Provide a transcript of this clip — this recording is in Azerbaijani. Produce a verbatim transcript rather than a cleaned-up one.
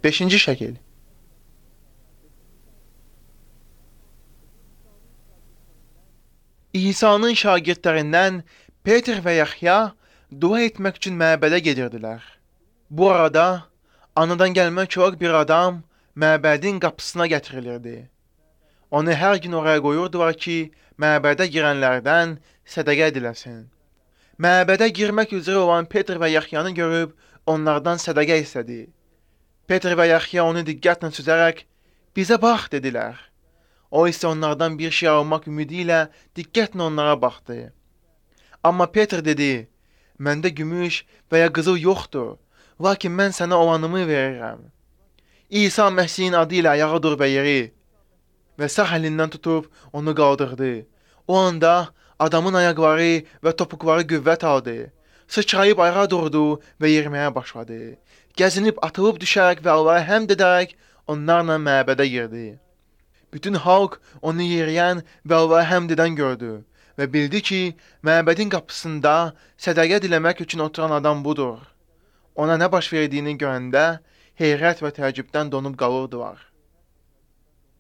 Beşinci şəkil. İsa'nın şagirdlərindən Peter və Yaxya dua etmək üçün məbədə gedirdilər. Bu arada anadan gəlmə körük bir adam məbədin qapısına gətirilirdi. Onu hər gün oraya qoyurdular ki, məbədə girənlərdən sədəqə ediləsin. Məbədə girmək üzrə olan Peter və Yaxyanı görüb onlardan sədəqə istədi. Peter və Yaxya onu diqqətlə süzərək, bizə bax, dedilər. O isə onlardan bir şey almaq ümidi ilə diqqətlə onlara baxdı. Amma Peter dedi, məndə gümüş və ya qızıl yoxdur, lakin mən sənə olanımı verirəm. İsa Məsihin adı ilə ayağa dur və yeri və sağ əlindən tutub onu qaldırdı. O anda adamın ayaqları və topuqları qüvvət aldı. Sıçrayıb ayağa durdu və yeriməyə başladı. Gəzinib atılıb düşərək və Allaha həmd edərək onlarla məbədə girdi. Bütün xalq onu yeriyən və Allaha həmd edən gördü və bildi ki, məbədin qapısında sədəqə diləmək üçün oturan adam budur. Ona nə baş verdiyini görəndə heyrət və təəccübdən donub qalırdılar.